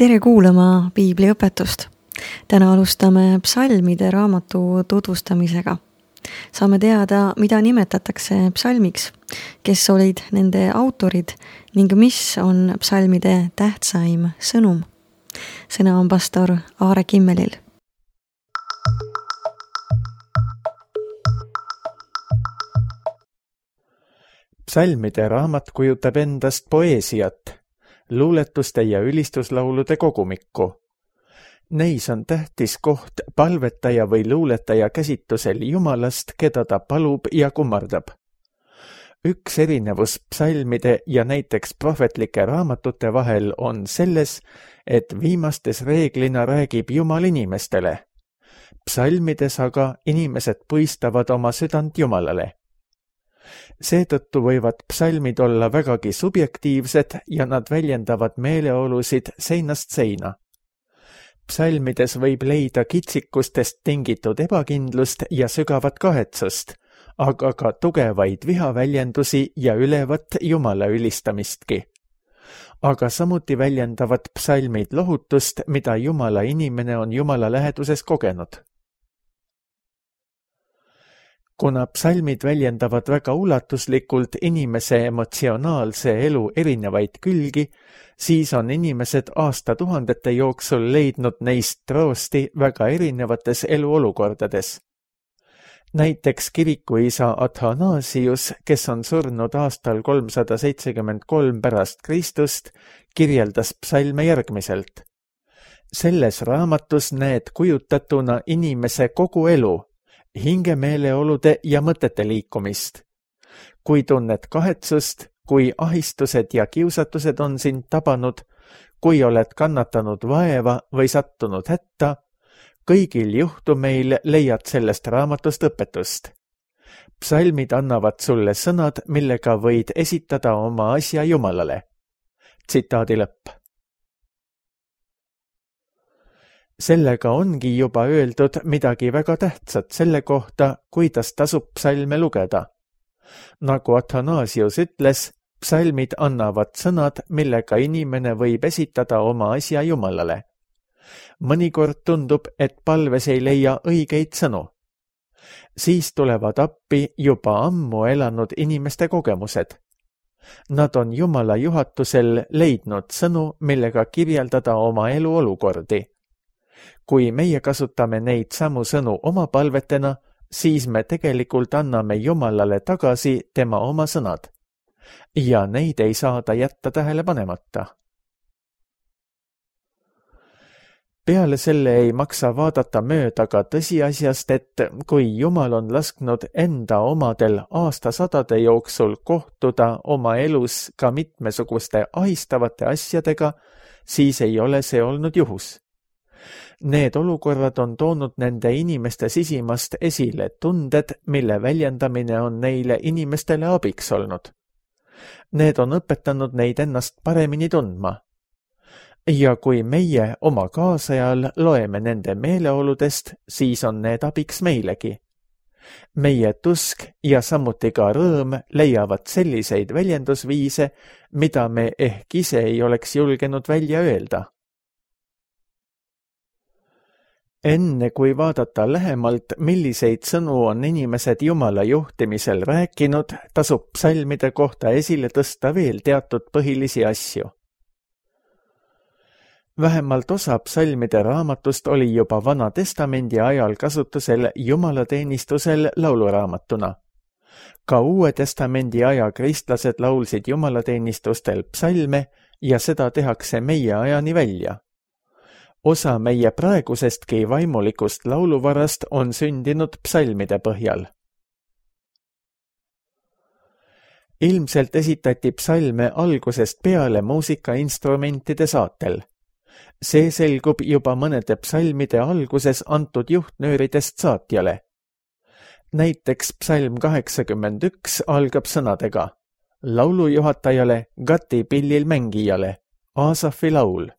Tere kuulama piibliõpetust. Täna alustame psalmide raamatu tutvustamisega. Saame teada, mida nimetatakse psalmiks, kes olid nende autorid ning mis on psalmide tähtsaim sõnum. Sõna on pastor Aare Kimmelil. Psalmide raamat kujutab endast poeesiat, luuletuste ja ülistuslaulude kogumikku. Neis on tähtis koht palvetaja või luuletaja käsitusel Jumalast, keda ta palub ja kummardab. Üks erinevus psalmide ja näiteks prohvetlike raamatute vahel on selles, et viimastes reeglina räägib Jumal inimestele. Psalmides aga inimesed puistavad oma südant Jumalale. Seetõttu võivad psalmid olla vägagi subjektiivsed ja nad väljendavad meeleolusid seinast seina. Psalmides võib leida kitsikustest tingitud ebakindlust ja sügavat kahetsust, aga ka tugevaid vihaväljendusi ja ülevat Jumala ülistamistki. Aga samuti väljendavad psalmid lohutust, mida Jumala inimene on Jumala läheduses kogenud. Kuna psalmid väljendavad väga ulatuslikult inimese emotsionaalse elu erinevaid külgi, siis on inimesed aastatuhandete jooksul leidnud neist troosti väga erinevates eluolukordades. Näiteks kirikuisa Athanasius, kes on surnud aastal 373 pärast Kristust, kirjeldas psalme järgmiselt. Selles raamatus näed kujutatuna inimese kogu elu, hingemeeleolude ja mõtete liikumist. Kui tunned kahetsust, kui ahistused ja kiusatused on sind tabanud, kui oled kannatanud vaeva või sattunud hätta, kõigil juhtumeil leiad sellest raamatust õpetust. Psalmid annavad sulle sõnad, millega võid esitada oma asja Jumalale. Tsitaadi lõpp. Sellega ongi juba öeldud midagi väga tähtsat selle kohta, kuidas tasub psalme lugeda. Nagu Athanasius ütles, psalmid annavad sõnad, millega inimene võib esitada oma asja Jumalale. Mõnikord tundub, et palves ei leia õigeid sõnu. Siis tulevad appi juba ammu elanud inimeste kogemused. Nad on Jumala juhatusel leidnud sõnu, millega kirjeldada oma elu olukordi. Kui meie kasutame neid samu sõnu oma palvetena, siis me tegelikult anname Jumalale tagasi tema oma sõnad. Ja neid ei saada jätta tähele panemata. Peale selle ei maksa vaadata mööda ka tõsiasjast, et kui Jumal on lasknud enda omadel aastasadade jooksul kohtuda oma elus ka mitmesuguste ahistavate asjadega, siis ei ole see olnud juhus. Need olukorrad on toonud nende inimeste sisimast esile tunded, mille väljendamine on neile inimestele abiks olnud. Need on õpetanud neid ennast paremini tundma. Ja kui meie oma kaasajal loeme nende meeleoludest, siis on need abiks meilegi. Meie tusk ja samuti ka rõõm leiavad selliseid väljendusviise, mida me ehk ise ei oleks julgenud välja öelda. Enne kui vaadata lähemalt, milliseid sõnu on inimesed Jumala juhtimisel rääkinud, tasub psalmide kohta esile tõsta veel teatud põhilisi asju. Vähemalt osa psalmide raamatust oli juba Vana Testamendi ajal kasutusel jumalateenistusel lauluraamatuna. Ka Uue Testamendi aja kristlased laulsid jumalateenistustel psalme ja seda tehakse meie ajani välja. Osa meie praegusestki vaimulikust lauluvarast on sündinud psalmide põhjal. Ilmselt esitati psalme algusest peale muusikainstrumentide saatel. See selgub juba mõnede psalmide alguses antud juhtnööridest saatjale. Näiteks psalm 81 algab sõnadega laulujuhatajale, Gati pillil mängijale, Aasafi laul.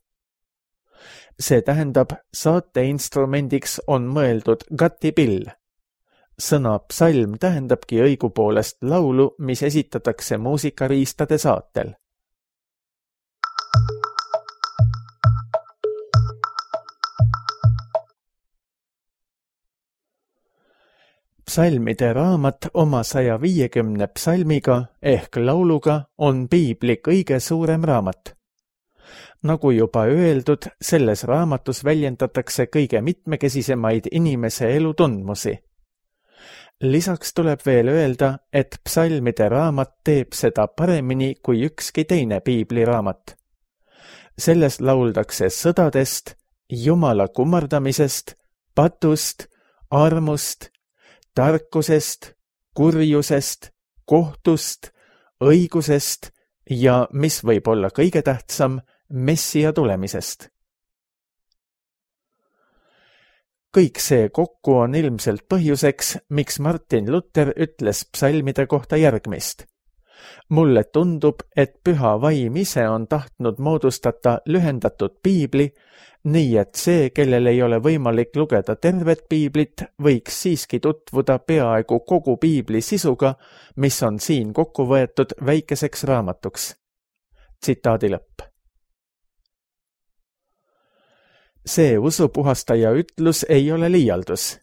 See tähendab, saateinstrumendiks on mõeldud Gati pill. Sõna psalm tähendabki õigupoolest laulu, mis esitatakse muusikariistade saatel. Psalmide raamat oma 150 psalmiga ehk lauluga on piibli kõige suurem raamat. Nagu juba öeldud, selles raamatus väljendatakse kõige mitmekesisemaid inimese elu tundmusi. Lisaks tuleb veel öelda, et psalmide raamat teeb seda paremini kui ükski teine piibliraamat. Selles lauldakse sõdadest, Jumala kummardamisest, patust, armust, tarkusest, kurjusest, kohtust, õigusest ja, mis võib olla kõige tähtsam, Messia tulemisest. Kõik see kokku on ilmselt põhjuseks, miks Martin Luther ütles psalmide kohta järgmist. Mulle tundub, et püha vaim ise on tahtnud moodustada lühendatud piibli, nii et see, kellel ei ole võimalik lugeda tervet piiblit, võiks siiski tutvuda peaaegu kogu piibli sisuga, mis on siin kokku võetud väikeseks raamatuks. Tsitaadi lõpp. See usupuhastaja ütlus ei ole liialdus.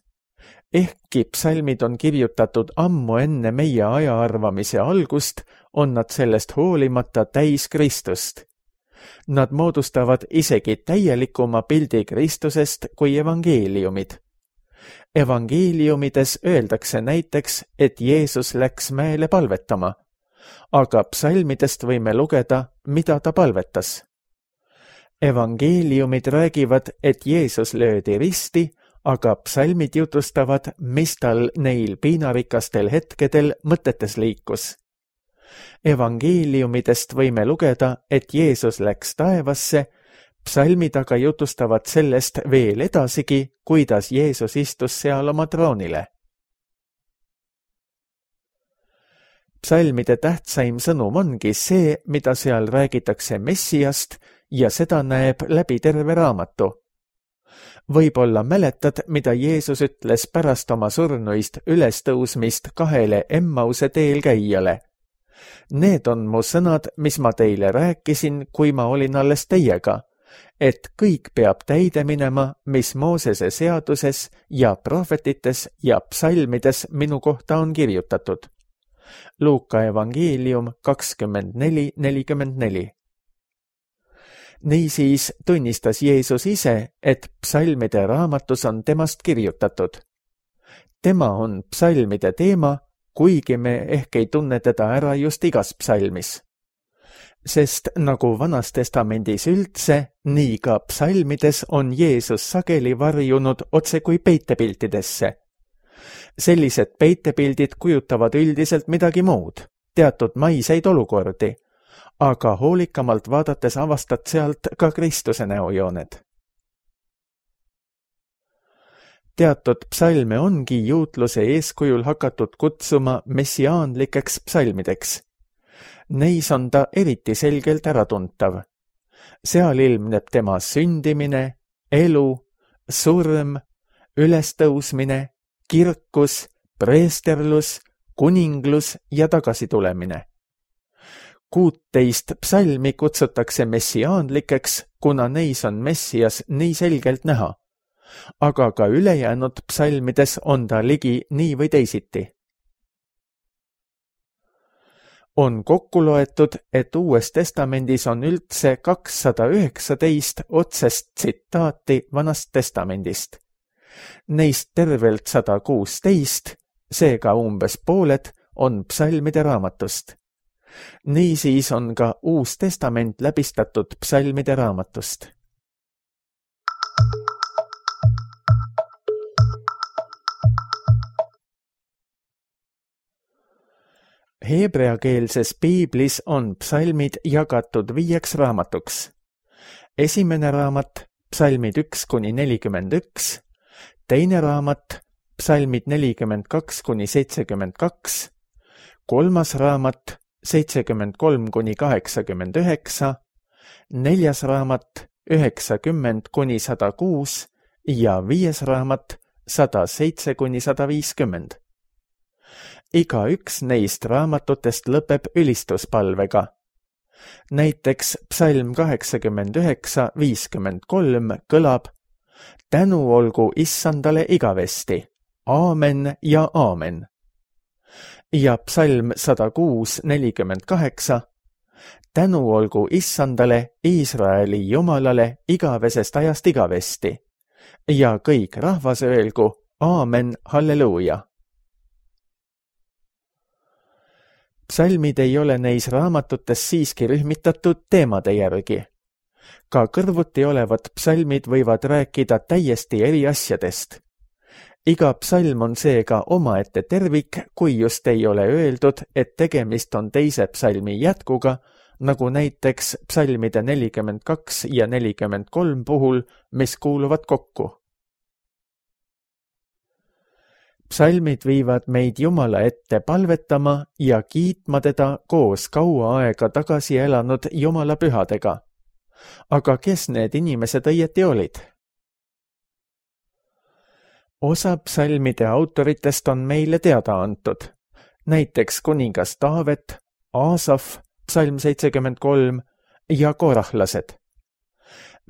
Ehkki psalmid on kirjutatud ammu enne meie ajaarvamise algust, on nad sellest hoolimata täis Kristust. Nad moodustavad isegi täielikuma pildi Kristusest kui evangeeliumid. Evangeeliumides öeldakse näiteks, et Jeesus läks mäele palvetama, aga psalmidest võime lugeda, mida ta palvetas. Evangeeliumid räägivad, et Jeesus löödi risti, aga psalmid jutustavad, mis tal neil piinarikastel hetkedel mõtetes liikus. Evangeeliumidest võime lugeda, et Jeesus läks taevasse, psalmid aga jutustavad sellest veel edasigi, kuidas Jeesus istus seal oma troonile. Psalmide tähtsaim sõnum ongi see, mida seal räägitakse Messiast ja seda näeb läbi terve raamatu. Võib-olla mäletad, mida Jeesus ütles pärast oma surnuist ülestõusmist 2 Emmause teel käijale. Need on mu sõnad, mis ma teile rääkisin, kui ma olin alles teiega, et kõik peab täide minema, mis Moosese seaduses ja prohvetites ja psalmides minu kohta on kirjutatud. Luuka evangeelium 24:44. Niisiis tunnistas Jeesus ise, et psalmide raamatus on temast kirjutatud. Tema on psalmide teema, kuigi me ehk ei tunne teda ära just igas psalmis. Sest nagu Vanas Testamendis üldse, nii ka psalmides on Jeesus sageli varjunud otse kui peitepiltidesse. Sellised peitepildid kujutavad üldiselt midagi muud, teatud maiseid olukordi, aga hoolikamalt vaadates avastad sealt ka Kristuse näojooned. Teatud psalme ongi juutluse eeskujul hakatud kutsuma messiaanlikeks psalmideks. Neis on ta eriti selgelt äratuntav. Seal ilmneb tema sündimine, elu, surm, ülestõusmine, kirkus, preesterlus, kuninglus ja tagasitulemine. 16 psalmi kutsutakse messiaanlikeks, kuna neis on Messias nii selgelt näha, aga ka ülejäänud psalmides on ta ligi nii või teisiti. On kokku loetud, et Uues Testamendis on üldse 219 otsest tsitaati Vanast Testamendist. Neist tervelt 116, seega umbes pooled, on psalmide raamatust. Niisiis on ka Uus Testament läbistatud psalmide raamatust. Heebreakeelses piiblis on psalmid jagatud 5 raamatuks. Esimene raamat, psalmid 1-41, teine raamat, psalmid 42-72, kolmas raamat, 73-89, neljas raamat, 90-106 ja 5. raamat, 107-150. Iga üks neist raamatutest lõpeb ülistuspalvega. Näiteks psalm 89-53 kõlab: tänu olgu Issandale igavesti, aamen ja aamen. Ja psalm 106:48, tänu olgu Issandale, Iisraeli Jumalale igavesest ajast igavesti. Ja kõik rahvas öelgu, aamen, halleluuja. Psalmid ei ole neis raamatutes siiski rühmitatud teemade järgi. Ka kõrvuti olevad psalmid võivad rääkida täiesti eri asjadest. Iga psalm on seega omaette tervik, kui just ei ole öeldud, et tegemist on teise psalmi jätkuga, nagu näiteks psalmide 42 ja 43 puhul, mis kuuluvad kokku. Psalmid viivad meid Jumala ette palvetama ja kiitma teda koos kaua aega tagasi elanud Jumala pühadega. Aga kes need inimesed õieti olid? Osa psalmide autoritest on meile teada antud. Näiteks kuningas Taavet, Aasaf, psalm 73 ja korahlased.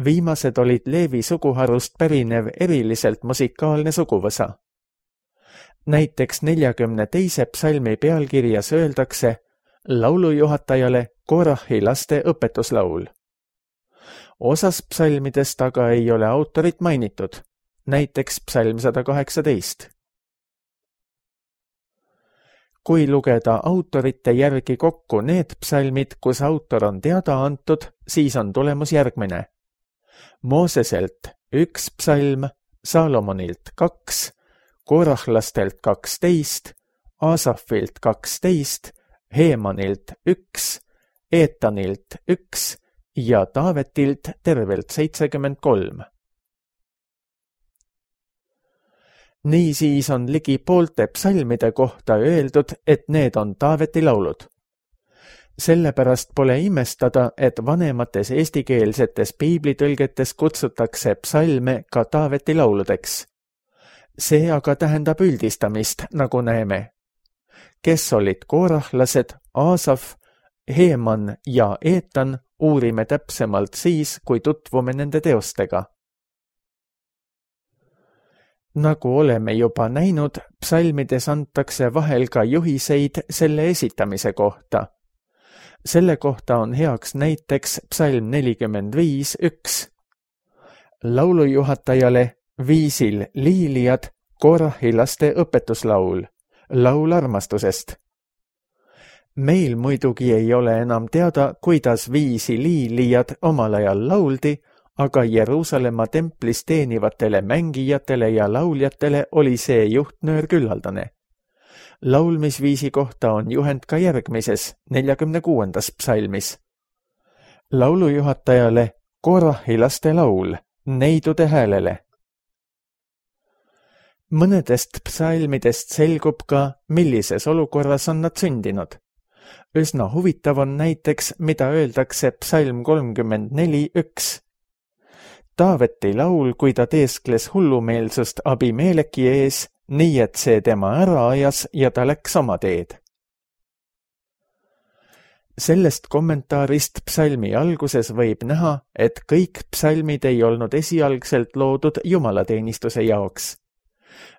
Viimased olid Leevi suguharust pärinev eriliselt musikaalne suguvõsa. Näiteks 42. psalmi pealkirjas öeldakse laulujuhatajale Korahi laste õpetuslaul. Osas psalmidest aga ei ole autorit mainitud, näiteks psalm 118. Kui lugeda autorite järgi kokku need psalmid, kus autor on teada antud, siis on tulemus järgmine. Mooseselt 1 psalm, Salomonilt 2, korahlastelt 12, Aasafilt 12, Heemanilt 1, Eetanilt 1 ja Taavetilt tervelt 73. Niisiis on ligi poolte psalmide kohta öeldud, et need on Taaveti laulud. Sellepärast pole imestada, et vanemates eestikeelsetes piiblitõlgetes kutsutakse psalme ka Taaveti lauludeks. See aga tähendab üldistamist, nagu näeme. Kes olid korahlased, Aasaf, Heeman ja Eetan, uurime täpsemalt siis, kui tutvume nende teostega. Nagu oleme juba näinud, psalmides antakse vahel ka juhiseid selle esitamise kohta. Selle kohta on heaks näiteks psalm 45:1. Laulujuhatajale viisil liilijad, Korahi laste õpetuslaul, laul armastusest. Meil muidugi ei ole enam teada, kuidas viisi liilijad omal ajal lauldi, aga Jeruusalemma templis teenivatele mängijatele ja lauljatele oli see juhtnöör küllaldane. Laulmisviisi kohta on juhend ka järgmises, 46. psalmis. Laulujuhatajale Korahi laste laul, neidude häälele. Mõnedest psalmidest selgub ka, millises olukorras on nad sündinud. Üsna huvitav on näiteks, mida öeldakse psalm 34:1. Taaveti laul, kui ta teeskles hullumeelsust Abimeleki ees, nii et see tema ära ajas ja ta läks oma teed. Sellest kommentaarist psalmi alguses võib näha, et kõik psalmid ei olnud esialgselt loodud jumalateenistuse jaoks.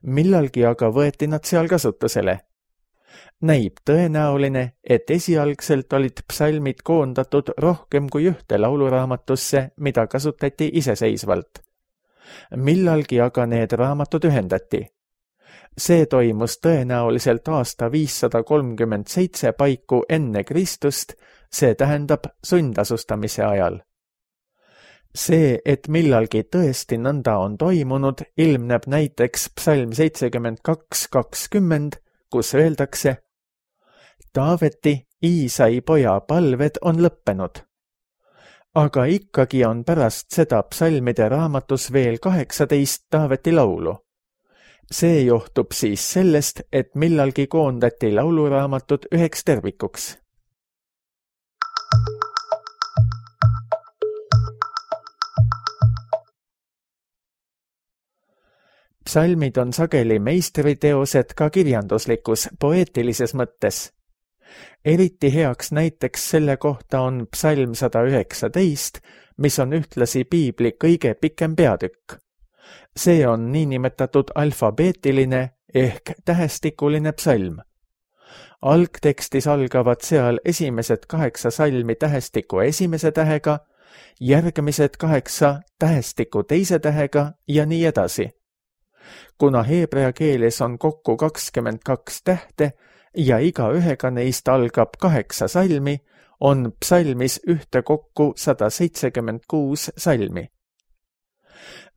Millalgi aga võeti nad seal kasutusele. Näib tõenäoline, et esialgselt olid psalmid koondatud rohkem kui ühte lauluraamatusse, mida kasutati iseseisvalt. Millalgi aga need raamatud ühendati. See toimus tõenäoliselt aasta 537 paiku enne Kristust, see tähendab sundasustamise ajal. See, et millalgi tõesti nõnda on toimunud, ilmneb näiteks psalm 72:20, kus öeldakse: Taaveti, Iisai poja palved on lõppenud. Aga ikkagi on pärast seda psalmide raamatus veel 18 Taaveti laulu. See johtub siis sellest, et millalgi koondati lauluraamatud üheks tervikuks. Psalmid on sageli meistriteosed ka kirjanduslikus, poeetilises mõttes. Eriti heaks näiteks selle kohta on psalm 119, mis on ühtlasi piibli kõige pikem peatükk. See on niinimetatud alfabeetiline ehk tähestikuline psalm. Algtekstis algavad seal esimesed 8 salmi tähestiku esimese tähega, järgmised 8 tähestiku teise tähega ja nii edasi. Kuna heebrea keeles on kokku 22 tähte ja iga ühega neist algab 8 salmi, on psalmis ühtekokku 176 salmi.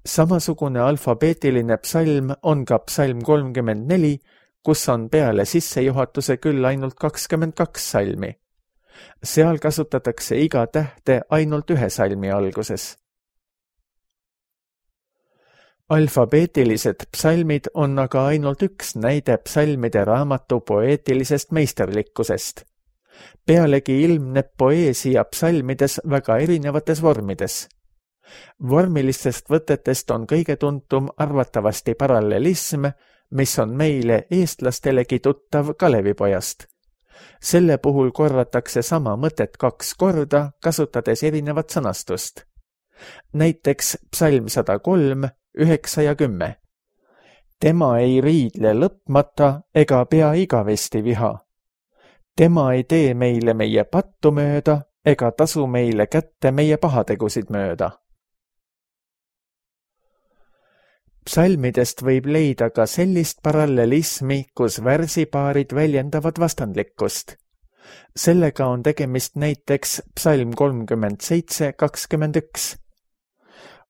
Samasugune alfabeetiline psalm on ka psalm 34, kus on peale sissejuhatuse küll ainult 22 salmi. Seal kasutatakse iga tähte ainult 1 salmi alguses. Alfabeetilised psalmid on aga ainult üks näide psalmide raamatu poeetilisest meisterlikkusest. Pealegi ilmneb poeesia psalmides väga erinevates vormides. Vormilistest võtetest on kõige tuntum arvatavasti parallelism, mis on meile eestlastelegi tuttav Kalevipojast. Selle puhul korratakse sama mõtet 2 korda, kasutades erinevat sõnastust. Näiteks psalm 103, 9 ja 10. Tema ei riidle lõpmata ega pea igavesti viha. Tema ei tee meile meie pattu mööda ega tasu meile kätte meie pahategusid mööda. Psalmidest võib leida ka sellist parallelismi, kus värsipaarid väljendavad vastandlikkust. Sellega on tegemist näiteks psalm 37:21.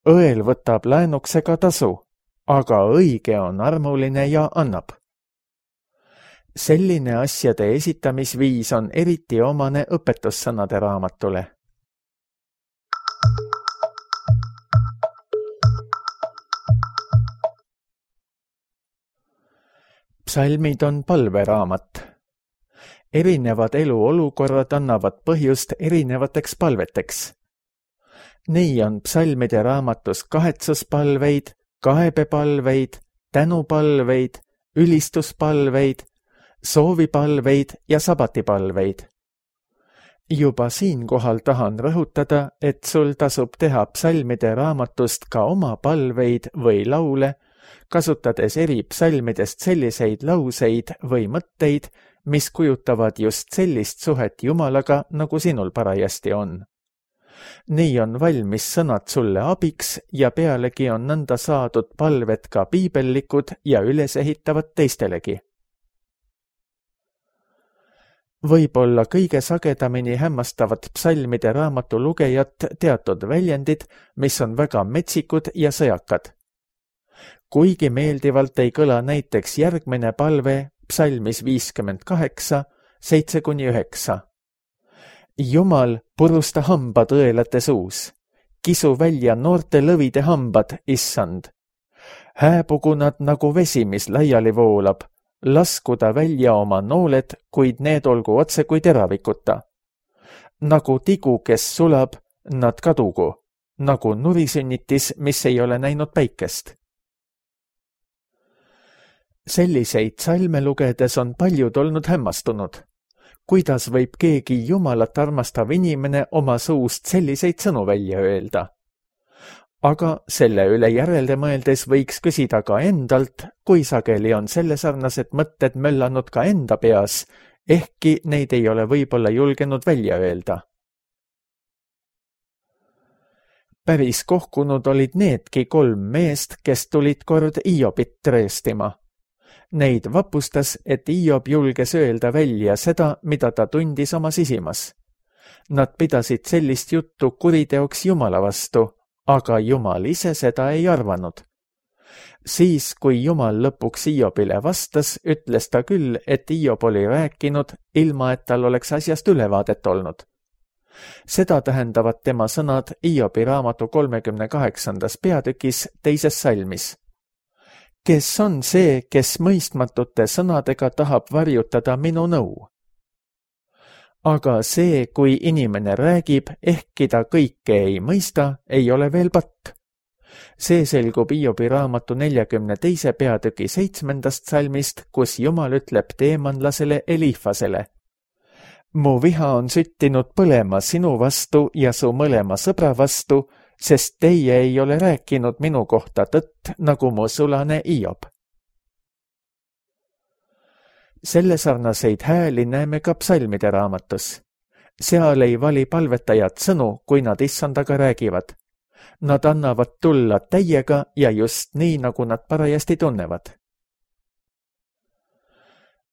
Õel võtab läänuksega tasu, aga õige on armuline ja annab. Selline asjade esitamisviis on eriti omane õpetussõnade raamatule. Psalmid on palveraamat. Erinevad eluolukorrad annavad põhjust erinevateks palveteks. Nii on psalmide raamatus kahetsuspalveid, kaebepalveid, tänupalveid, ülistuspalveid, soovipalveid ja sabatipalveid. Juba siinkohal tahan rõhutada, et sul tasub teha psalmide raamatust ka oma palveid või laule, kasutades eri psalmidest selliseid lauseid või mõtteid, mis kujutavad just sellist suhet Jumalaga, nagu sinul parajasti on. Nii on valmis sõnad sulle abiks ja pealegi on nõnda saadud palved ka piibellikud ja ülesehitavad teistelegi. Võib-olla kõige sagedamini hämmastavad psalmide raamatu lugejat teatud väljendid, mis on väga metsikud ja sõjakad. Kuigi meeldivalt ei kõla näiteks järgmine palve psalmis 58, 7-9. Jumal, purusta hambad õelate suus. Kisu välja noorte lõvide hambad, issand. Hääbugu nad nagu vesi, mis laiali voolab. Laskuda välja oma nooled, kuid need olgu otse kui teravikuta. Nagu tigu, kes sulab, nad kadugu. Nagu nurisünnitis, mis ei ole näinud päikest. Selliseid salme lugedes on paljud olnud hämmastunud. Kuidas võib keegi Jumalat armastav inimene oma suust selliseid sõnu välja öelda? Aga selle üle järele mõeldes võiks küsida ka endalt, kui sageli on sellesarnased mõtted möllanud ka enda peas, ehkki neid ei ole võib-olla julgenud välja öelda. Päris kohkunud olid needki 3 meest, kes tulid kord Hiobit treestima. Neid vapustas, et Hiob julges öelda välja seda, mida ta tundis oma sisimas. Nad pidasid sellist juttu kuriteoks Jumala vastu, aga Jumal ise seda ei arvanud. Siis, kui Jumal lõpuks Hiobile vastas, ütles ta küll, et Hiob oli rääkinud, ilma et tal oleks asjast ülevaadet olnud. Seda tähendavad tema sõnad Hiobi raamatu 38. peatükis 2. salmis. Kes on see, kes mõistmatute sõnadega tahab varjutada minu nõu? Aga see, kui inimene räägib, ehkki ta kõike ei mõista, ei ole veel patt. See selgub Hiobi raamatu 42. peatüki 7. salmist, kus Jumal ütleb teemanlasele Elifasele. Mu viha on süttinud põlema sinu vastu ja su mõlema sõbra vastu, sest teie ei ole rääkinud minu kohta tõtt, nagu mu sulane Hiob. Selle sarnaseid hääli näeme ka psalmide raamatus. Seal ei vali palvetajad sõnu, kui nad issandaga räägivad. Nad annavad tulla täiega ja just nii, nagu nad parajasti tunnevad.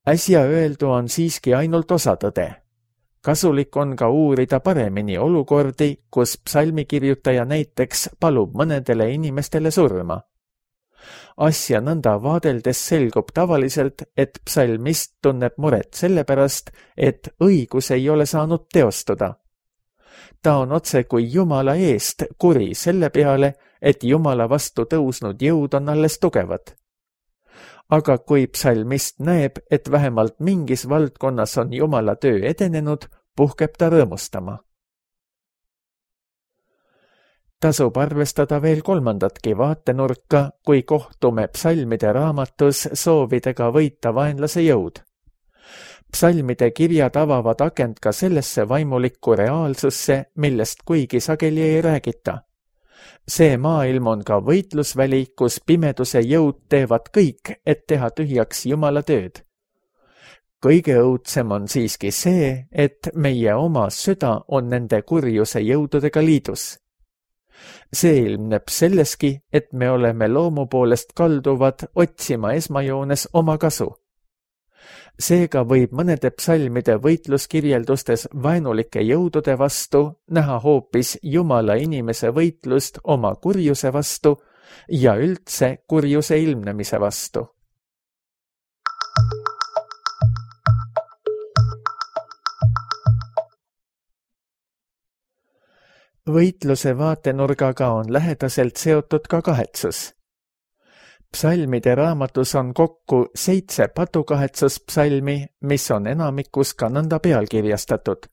Äsja öeldu on siiski ainult osa tõde. Kasulik on ka uurida paremini olukordi, kus psalmikirjutaja näiteks palub mõnedele inimestele surma. Asja nõnda vaadeldes selgub tavaliselt, et psalmist tunneb muret sellepärast, et õigus ei ole saanud teostuda. Ta on otse kui Jumala eest kuri selle peale, et Jumala vastu tõusnud jõud on alles tugevad. Aga kui psalmist näeb, et vähemalt mingis valdkonnas on Jumala töö edenenud, puhkeb ta rõõmustama. Tasub arvestada veel kolmandatki vaatenurka, kui kohtume psalmide raamatus soovidega võita vaenlase jõud. Psalmide kirjad avavad akent ka sellesse vaimulikku reaalsusse, millest kuigi sageli ei räägita. See maailm on ka võitlusväli, kus pimeduse jõud teevad kõik, et teha tühjaks Jumala tööd. Kõige õudsem on siiski see, et meie oma süda on nende kurjuse jõududega liidus. See ilmneb selleski, et me oleme loomu poolest kalduvad otsima esmajoones oma kasu. Seega võib mõnede psalmide võitluskirjeldustes vaenulike jõudude vastu näha hoopis Jumala inimese võitlust oma kurjuse vastu ja üldse kurjuse ilmnemise vastu. Võitluse vaatenurgaga on lähedaselt seotud ka kahetsus. Psalmide raamatus on kokku 7 patukahetsuspsalmi, mis on enamikus ka nõnda pealkirjastatud.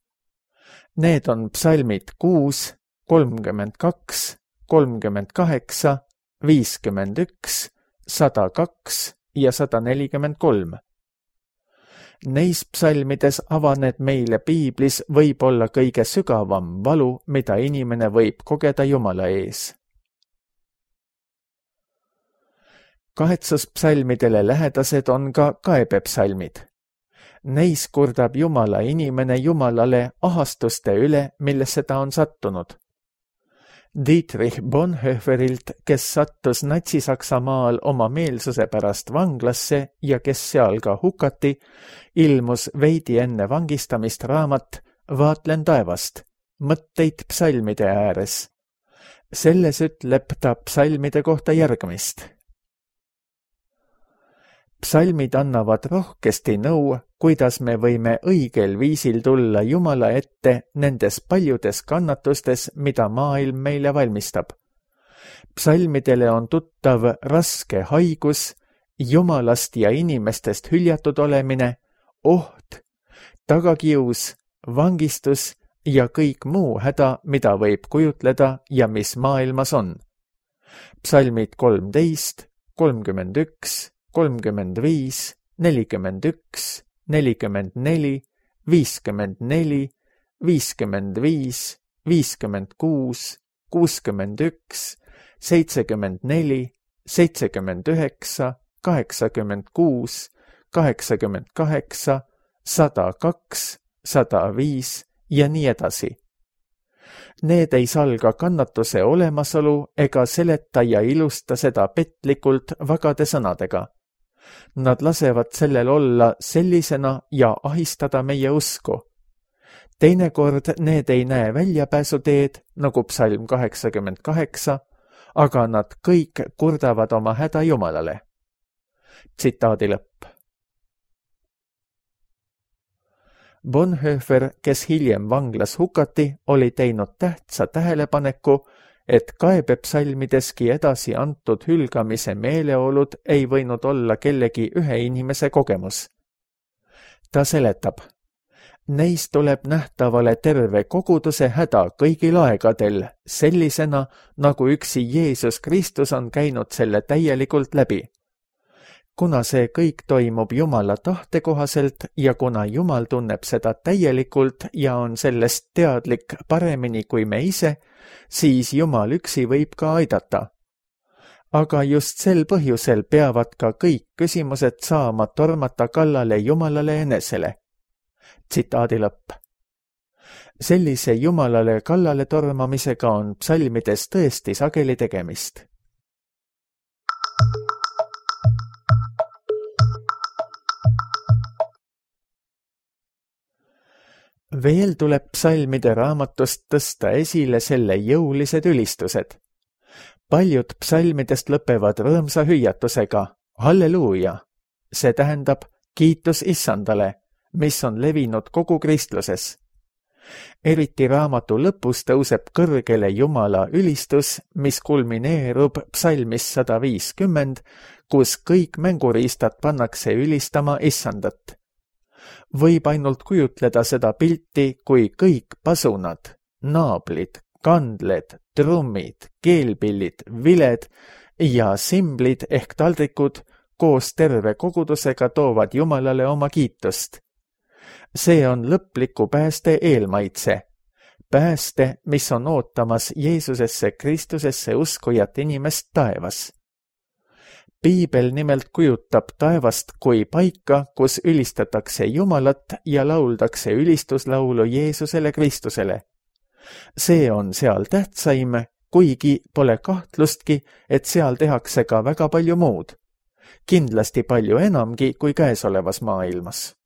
Need on psalmid 6, 32, 38, 51, 102 ja 143. Neis psalmides avaneb meile piiblis võib olla kõige sügavam valu, mida inimene võib kogeda Jumala ees. Kahetsuspsalmidele lähedased on ka kaebepsalmid. Neis kurdab Jumala inimene Jumalale ahastuste üle, millesse ta on sattunud. Dietrich Bonhoefferilt, kes sattus Natsi-Saksamaal oma meelsuse pärast vanglasse ja kes seal ka hukati, ilmus veidi enne vangistamist raamat Vaatlen taevast, mõtteid psalmide ääres. Selles ütleb ta psalmide kohta järgmist. Psalmid annavad rohkesti nõu, kuidas me võime õigel viisil tulla Jumala ette nendes paljudes kannatustes, mida maailm meile valmistab. Psalmidele on tuttav raske haigus, Jumalast ja inimestest hüljatud olemine, oht, tagakius, vangistus ja kõik muu häda, mida võib kujutleda ja mis maailmas on. Psalmid 13, 31, 35, 41, 44, 54, 55, 56, 61, 74, 79, 86, 88, 102, 105 ja nii edasi. Need ei salga kannatuse olemasolu ega seleta ja ilusta seda petlikult vagade sõnadega. Nad lasevad sellel olla sellisena ja ahistada meie usku. Teinekord need ei näe väljapääsuteed, nagu psalm 88, aga nad kõik kurdavad oma häda Jumalale. Tsitaadi lõpp. Bonhoeffer, kes hiljem vanglas hukati, oli teinud tähtsa tähelepaneku, et kaebepsalmideski edasi antud hülgamise meeleolud ei võinud olla kellegi ühe inimese kogemus. Ta seletab, neis tuleb nähtavale terve koguduse häda kõigil aegadel, sellisena, nagu üksi Jeesus Kristus on käinud selle täielikult läbi. Kuna see kõik toimub Jumala tahte kohaselt ja kuna Jumal tunneb seda täielikult ja on sellest teadlik paremini kui me ise, siis Jumal üksi võib ka aidata. aga just sel põhjusel peavad ka kõik küsimused saama tormata kallale Jumalale enesele. Tsitaadi lõpp. Sellise Jumalale kallale tormamisega on psalmides tõesti sageli tegemist. Veel tuleb psalmide raamatust tõsta esile selle jõulised ülistused. Paljud psalmidest lõpevad rõõmsa hüüatusega halleluuja, see tähendab kiitus Issandale, mis on levinud kogu kristluses. Eriti raamatu lõpus tõuseb kõrgele Jumala ülistus, mis kulmineerub psalmis 150, kus kõik mänguriistad pannakse ülistama Issandat. Võib ainult kujutleda seda pilti, kui kõik pasunad, naablid, kandled, trummid, keelpillid, viled ja simblid ehk taldrikud koos terve kogudusega toovad Jumalale oma kiitust. See on lõpliku pääste eelmaitse. Pääste, mis on ootamas Jeesusesse Kristusesse uskujat inimest taevas. Piibel nimelt kujutab taevast kui paika, kus ülistatakse Jumalat ja lauldakse ülistuslaulu Jeesusele Kristusele. See on seal tähtsaim, kuigi pole kahtlustki, et seal tehakse ka väga palju muud. Kindlasti palju enamgi kui käesolevas maailmas.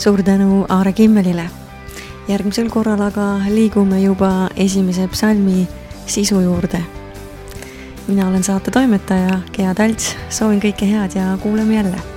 Suur tänu Aare Kimmelile. Järgmisel korral aga liigume juba esimese psalmi sisu juurde. Mina olen saate toimetaja Gea Talts, soovin kõike head ja kuuleme jälle.